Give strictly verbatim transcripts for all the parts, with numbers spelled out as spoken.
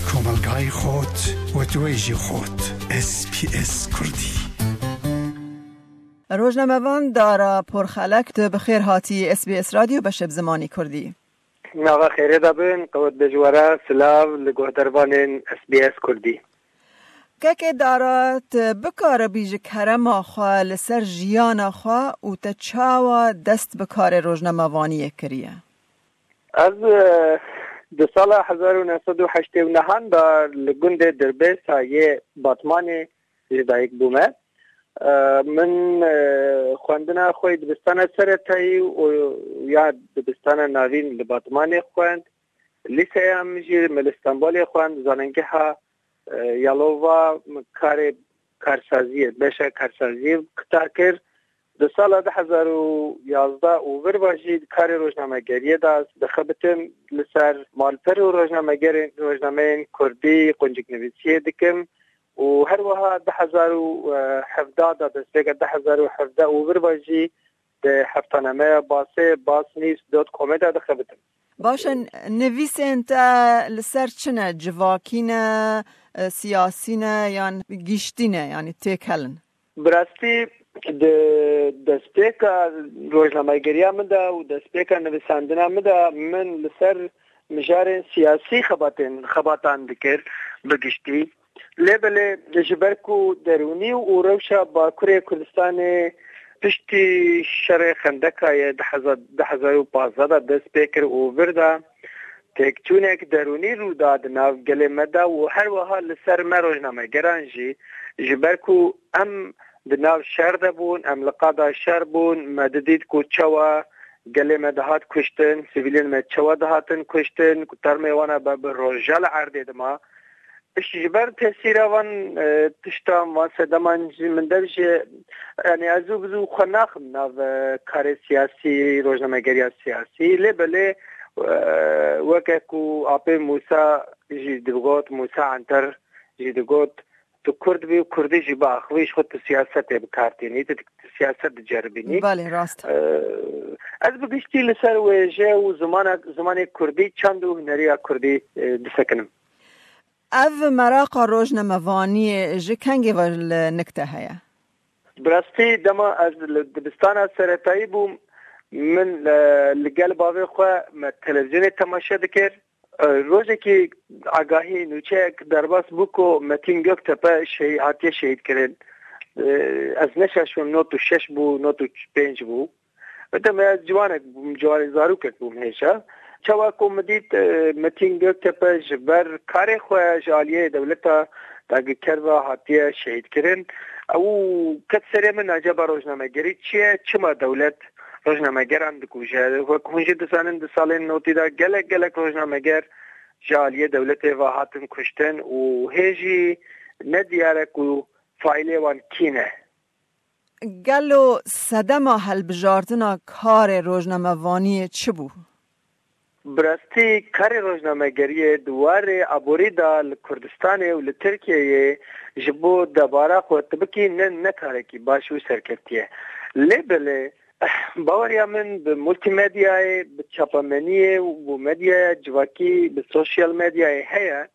Komelgayê xot, wetwêjî xot. S B S Kurdî. Rojnamevan Dara Porxelek, tu bi xêr hatî S B S Radyo beşê bi zimanî Kurdî. Nava xêrê de bin, qewet bêjwara, silav li guhdarvanên S B S Kurdî. Kekê Dara, tu bikaribî ji kerema xwe li ser jiyana xwe û te çawa dest bi karê rojnamevaniyê kiriye? Ez, e, di sala hezar û neh sed û heştê û nehan de li gundê Dirbêsa yê Batmanê ji dayik bûme. E, min, e, xwendina xwe yê dibistana seretayî û ya dibistana navîn li Batmanê xwend. Lîseya min jî min li Stenbolê xwend, zanîngeha, e, Yalova min karê karsaziyê, beşa karsaziyê qita kir. Di sala du hezar û yazdeh û vir ve jî di karê rojnamegeriyê de ez dixebitim li ser malper û rojnamegerên, rojnameyên kurdî qunciknivîsiyê dikim û her wiha du hezar û hevdeh de, destpêka du hezar û hevdeh û vir ve jî di heftanemeya Basê, Bas News dot comê de dixebitim. Baş e, nivîsên te li ser çi ne? Civakî ne, e, siyasî ne yan giştî ne, yanî têkel in? Bi rastî di destpêka rojnamegeriya min de û destpêka nivîsandina min de min li ser mijarên siyasî xebatên, xebatan dikir bi giştî. Lê belê ji ber ku derûnî û rewşa Bakurê Kurdistanê piştî şerê Xendeka yê du hezar, du hezar û pazdeh de dest pê kir û vir de têkçûnek derûnî rû da di nav gelê me de û her wiha li ser me rojnamegeran jî, ji ber ku em di nav şer de bûn, em li qada şer bûn, me didît ku çawa gelê me dihat kuştin, sivîlên me çawa dihatin kuştin, ku termê wan a be bi roja li erdê dima. Ji ber tesîra van, e, tiştan, van sedeman jî min dev jî, yanî ez zû bi zû xwe naxim nav, e, karê siyasî, rojnamegeriya siyasî. Lê belê, e, weke ku apê Mûsa jî digot, Mûsa Anter jî digot, tu Kurd bî û Kurdî jî biaxivî, ji xwe tu siyasetê bi kar tînî, tu, tu siyaset diceribînî. Belê, rast. E, ez bi giştî li ser wêje û zimana, zimanê Kurdî, çand û huneriya Kurdî, e, disekinim. Ev meraqa rojnamevaniyê ji kengê ve li nik te heye? Bi rastî dema ez li dibistana seretayî bûm, min, e, li gel bavê xwe me televîzyonê temaşe dikir. E, rojekî agahî, nûçeyek derbas bû ku Metîn Göktepe şehî-, hatiye şehîdkirin. E, ez neşaşim, not û şeş bû, not û pênc bû. Weke me ez ciwanek bûm, ciwanê zarokek bûm hêja. Çawa ku min dît, e, Metîn Göktepe ji ber karê xwe ji aliyê dewleta dagirker ve hatiye şehîdkirin, ew ket serê min, acaba rojnamegerî çi ye? Çima dewlet rojnamegeran dikuje? Wek hûn jî dizanin, di salên notî de gelek, gelek rojnameger ji aliyê dewletê ve hatin kuştin û hê jî ne diyar e ku faîlê wan kî ne. Gelo sedema hilbijartina karê rojnamevaniyê çi bû? Bi rastî karê rojnamegeriyê di warê aborî de li Kurdistanê û li Tirkiyeyê ji bo debara xwe tu bikî ne, ne karekî baş û serkeftiye. Lê belê, baweriya min bi multîmedyayê, bi çapemeniyê û bi medyaya civakî, bi sosyal medyayê heye.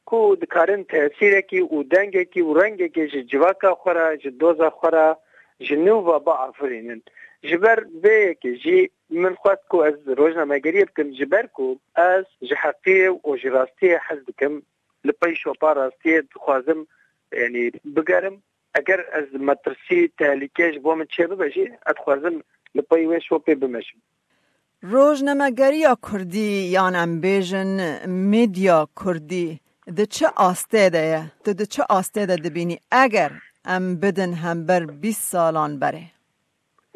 Ku dikarin tesîrekî û dengekî û rengekê ji civaka xwe re, ji doza xwe re, ji nû ve biafirînin. Ji ber vê yekê jî min xwest ku ez rojnamegeriyê bikim, ji ber ku ez ji heqiyê û ji rastiyê hez dikim. Li pey şopa rastiyê dixwazim, yanî bigerim. Eger ez metirsî, tehlîke ji bo min çêbibe jî, ez dixwazim li pey wê şopê bimeşim. Rojnamegeriya Kurdî, yan em bêjin medya Kurdî, di çi astê de ye? Tu di çi astê de dibînî? Eger em bidin hember bîst salan berê.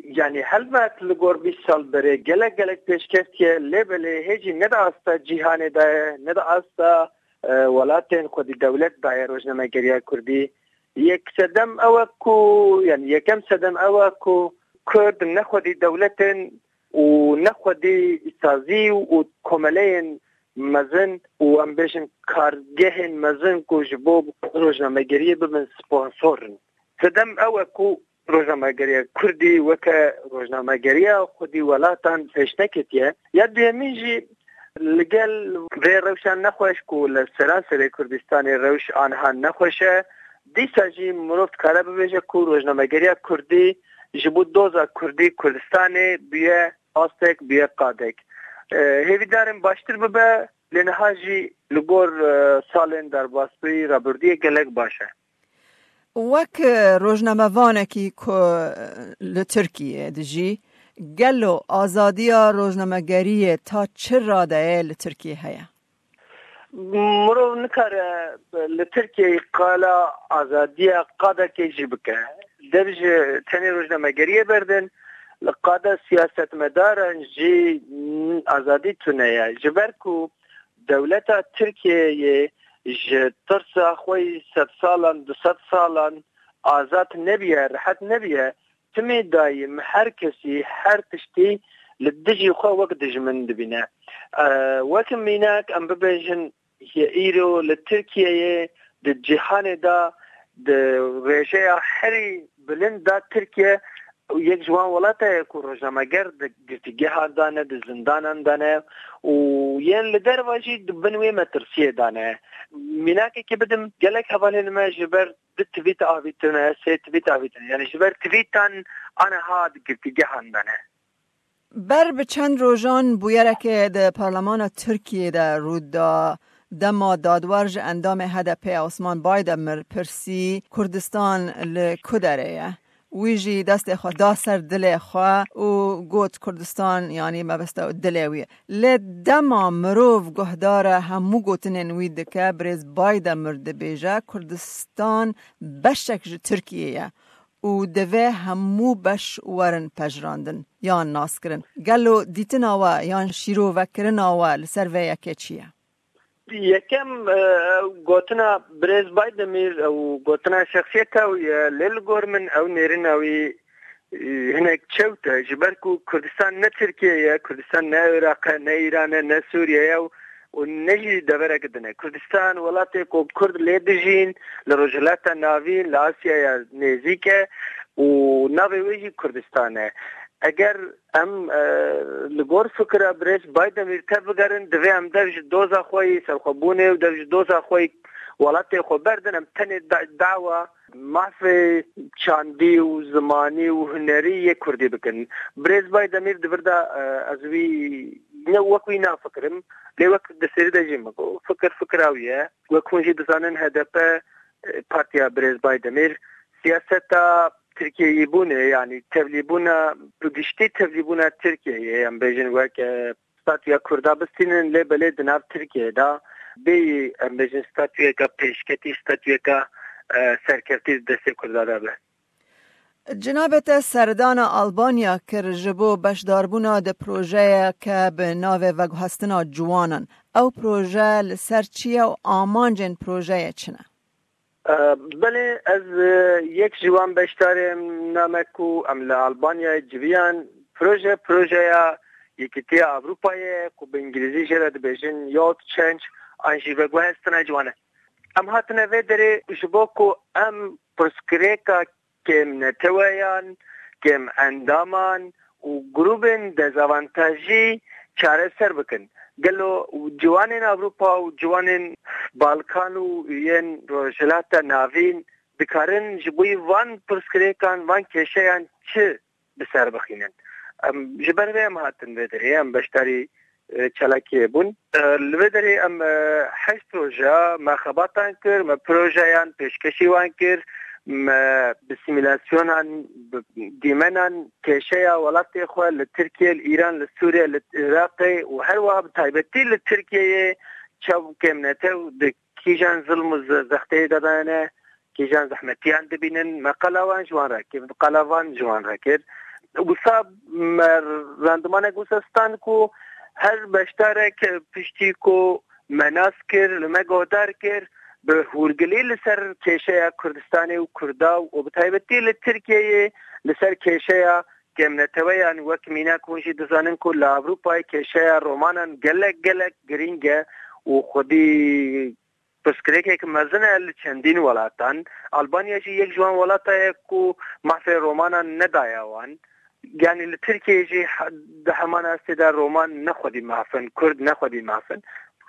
Yanî helbet li gor bîst sal berê gelek gelek pêşkeftiye, lê belê hê jî ne di asta cîhanê de ye, ne di asta, e, welatên xwedî dewlet de ye rojnamegeriya Kurdî. Yek sedem ew e ku, yanî yekem sedem ew e ku Kurd ne xwedî dewlet in û ne xwedî sazî û komeleyên mezin û, em bêjin, kargehên mezin ku ji bo rojnamegeriyê bibin sponsor in. Sedem ew e ku rojnamegeriya Kurdî weke rojnamegeriya xwedî welatan pêş neketiye. Ya duyemîn jî, Li gel vê rewşa nexweş ku li seranserê Kurdistanê rewş aniha nexweş e, dîsa jî mirov dikare bibêje ku rojnamegeriya Kurdî ji bo doza Kurdî Kurdistanê bûye astek, bûye qadek. E, hêvîdarim baştir bibe, lê niha jî li gor, e, salên derbasbûyî rabirdûyê gelek baş e. Wek rojnamevanekî ku li Tirkiyê dijî, gelo azadiya rojnamegeriyê ta çi radeyê li Tirkiyê heye? Mirov nikare li Tirkiyeyê qala azadiya qadekê jî bike. Dev ji tenê rojnamegeriyê berdin, li qada siyasetmedaran jî azadî tune ye. Ji ber ku dewleta Tirkiyeyê ji tirsa xwe yî sed salan, du sed salan azad nebiye, rehet nebiye, timê dayîm her kesî, her tiştî li dijî xwe wek dijmin dibîne. E, wek mînak em bibêjin, îro li Tirkiyeyê, di cîhanê de, di rêjeya herî bilind de Tirkiye yek ji wan welata ye ku rojnameger di girtîgehan de ne, di zindanan de ne û yên li derve jî di bin wê metirsiyê de ne. Mînakekê bidim, gelek hevalên me ji ber du tweet avîtine, sê tweet avîtine. Yanî ji ber tweetan aniha di girtîgehan de ne. Ber bi çend rojan bûyereke di Parlemana Tirkiyê de rû da, dema dadwer ji endamê H D P Osman Baydemir pirsî, Kurdistan li ku derê ye? Wî jî destê xwe da ser dilê xwe û got, Kurdistan, yanî mebesta dilê wî ye. Lê dema mirov guhdara hemû gotinên wî dike, birêz Baydemir dibêje, Kurdistan beşek ji Tirkiyê ye û divê hemû beş werin pejirandin yan naskirin. Gelo dîtina we yan şîrovekirina we li ser vê yekê çi ye? Yekem, e, gotina birêz Baydemîr û gotina şexsiyeta wî ye, lê li gor min ew nêrîna wî, e, hinek çewt e. Ji ber ku Kurdistan ne Tirkiye ye, Kurdistan ne Iraq e, ne Îran e, ne Sûriye ye û, û ne jî deverek din e. Kurdistan welatê ku Kurd lê dijîn, li Rojhilata Navîn, li Asyaya Nêzîk e û navê wê jî Kurdistan e. Eger em, e, li gor fikira birêz Baydemîr tev bigerin, divê em dev ji doza xwe yî serxwebûnê û dev ji doza xwe yî welatê xwe berdin, em tenê da-, dawa mafê çandî û zimanî û hunerî yê Kurdî bikin. Birêz Baydemîr di vir de, e, ez wî ne wek wî nafikirim, lê wek di serî de jî min got, fikir fikira wî ye. Wek hûn jî dizanin, H D P, e, partiya birêz Baydemîr, siyaseta Tirkiyeyîbûnê, yanî tevlîbûna, bi giştî tevlîbûna Tirkiyeyê, em bêjin wek, e, statûya Kurda bistînin, lê belê di nav Tirkiyeyê de bêyî, em bêjin, statûyeka pêşketî, statûyeka, e, serkevtî di destê Kurda de be. Cinabê te serdana Albanya kir ji bo beşdarbûna di projeyeke bi navê Veguhestina Ciwanan. Ew proje li ser çi ye û amancên projeyê çi ne? E, belê, ez, e, yek ji wan beşdarên me ku em li Albanyayê civiyan, proje, projeya Yekîtiya Ewropayê ye ku bi îngilîzî jê re dibêjin Youth Change an jî Veguhestina Ciwanan. Em hatine vê derê ji bo ku em pirsgirêka kêmneteweyan, kêmendaman û grûbên dezavantajî çareser bikin. Gelo ciwanên Ewropa û ciwanên Balkan û yên Rojhilata Navîn dikarin ji bo van pirsgirêkan, van kêşeyan çi bi ser bixînin? Em ji ber vê em hatin vê derê, em beşdarî, e, çalakiyê bûn. E, li vê derê em, e, heşt roja me xebatan kir, me projeyan pêşkêşî wan kir, me bi simîlasyonan, bi dîmenan kêşeya welatê xwe li Tirkiye, li Îran, li Sûriye, li Iraqê û her wiha bi taybetî li Tirkiyeyê çav kêmnetew di kîjan zilm û ze-, zexteyê de dayene, kîjan zehmetiyan dibînin, me qala wan ji wan re kir, qala van ji wan re kir. Wisa me randimanek wisa stand ku her beşdarek piştî ku me nas kir, li me guhdar kir, bi hûrgilî li ser kêşeya Kurdistanê û Kurda û bi taybetî li Tirkiyeyê li ser kêşeya kêmneteweyan, wek mînak hûn jî dizanin ku li Ewropayê kêşeya Romanan gelek, gelek girîng e û xwedî pirsgirêkek mezin e li çendîn welatan. Albanya jî yek ji wan welata ye ku mafê Romanan nedaye wan. Yanî li Tirkiyeyê jî he-, di heman astê de Roman ne xwedî maf in, Kurd ne xwedî maf in.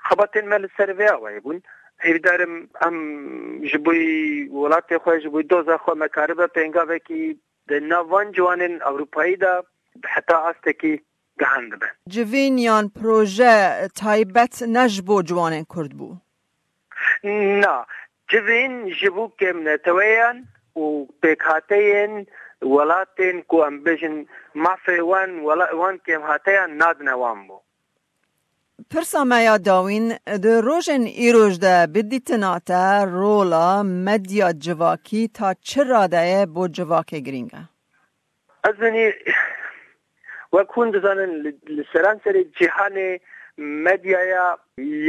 Xebatên me li ser vê awayê bûn. Hêvîdar im em ji bo welatê xwe, ji bo doza xwe me karibe pêngavekî di nav van ciwanên Ewropayî de heta astekî gihandibe. Civîn yan proje taybet ne ji bo ciwanên Kurd bû? Na, civîn ji bo kêmneteweyan û pêkhateyên welatên ku em bêjin mafê wan, wela-, wan kêmhateyan nadine wan bû. Pirsa me ya dawîn, di rojên îroj de bi dîtina te rola medya civakî ta çi radeyê bo civakê girîng e? Ez benî, wek hûn dizanin, li, li seranserê cîhanê medyaya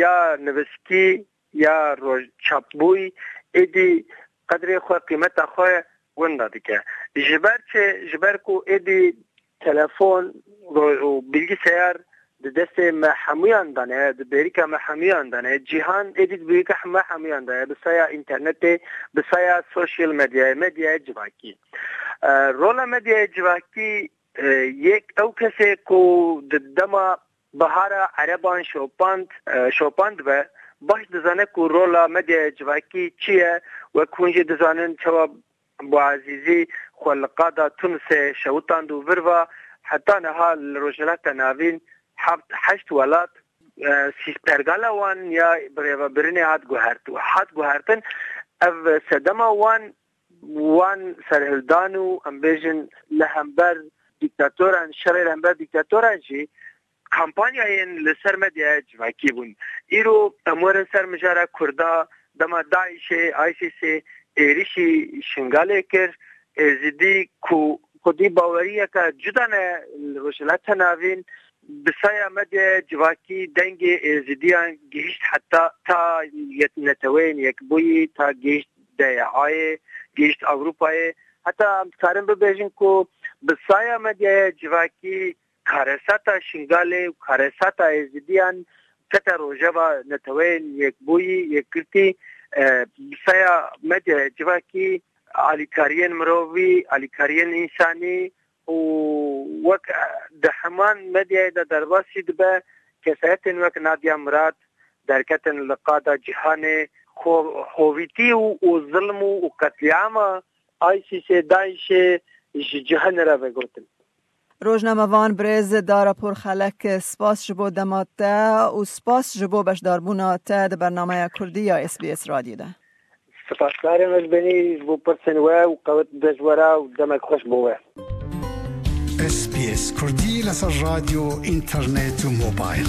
ya nivîskî ya roj-, çapbûyî êdî qedrê xwe, qîmeta xwe winda dike. Ji ber çi? Ji ber ku êdî telefon ro-, û bilgisayar di destê me hemûyan de ne, di bêrîka me hemûyan de ne. Cîhan êdî di bêrîka me hemûyan de ye, bi saya înternetê, bi saya sosyal medyayê, medyaya civakî. E, rola medyaya civakî, e, yek ew kesê ku di dema bihara ereban şopand, e, şopand be, baş dizane ku rola medyaya civakî çi ye, wek hûn jî dizanin çawa Bûazîzî xwe li qada Tunisê şewitand û vir va heta niha li Rojhilata Navîn heft, heşt welat, e, sî-, pergala wan ya birêvebirinê hat guhert-, hat guhertin. Ev sedema wan, wan serhildan û, em bêjin, li hember dîktatoran, şerê li hember dîktatoran jî kampanyayên li ser medyaya civakî bûn. Îro em werin ser mijara Kurda, dema DAIŞê, ISISê êrişî Şingalê kir, Êzidî ku xwedî baweriyeke cuda ne li Rojhilata Navîn, bi saya medyaya civakî dengê Êzidiyan gihişt heta ta yet-, Neteweyên Yekbûyî, ta gihişt D Y A'yê, gihişt Ewropayê. Heta em dikarin bibêjin ku bi saya medyaya civakî karesata Şingalê û karesata Êzidiyan kete rojeva Neteweyên Yekbûyî, Yekgirtî, e, bi saya medyaya civakî alîkariyên mirovî, alîkariyên însanî û wek, e, di heman medyayê de derbasî dibe, kesayetên wek Nadia Murad derketin li qada cîhanê, xo-, xovîtî û, û zilm û, û qetlîama ISISê, DAIŞê ji cîhanê re vegotin. Rojnamevan birêz Dara Porxelek, spas ji bo dema te û spas ji bo beşdarbûna te di bernameya Kurdî ya S B S Radyo de. Spasdarê me ji benî ji bo pirsên we û qewet be ji we re û demek xweş bo we. S B S Kurdî li ser radyo, înternet û mobil.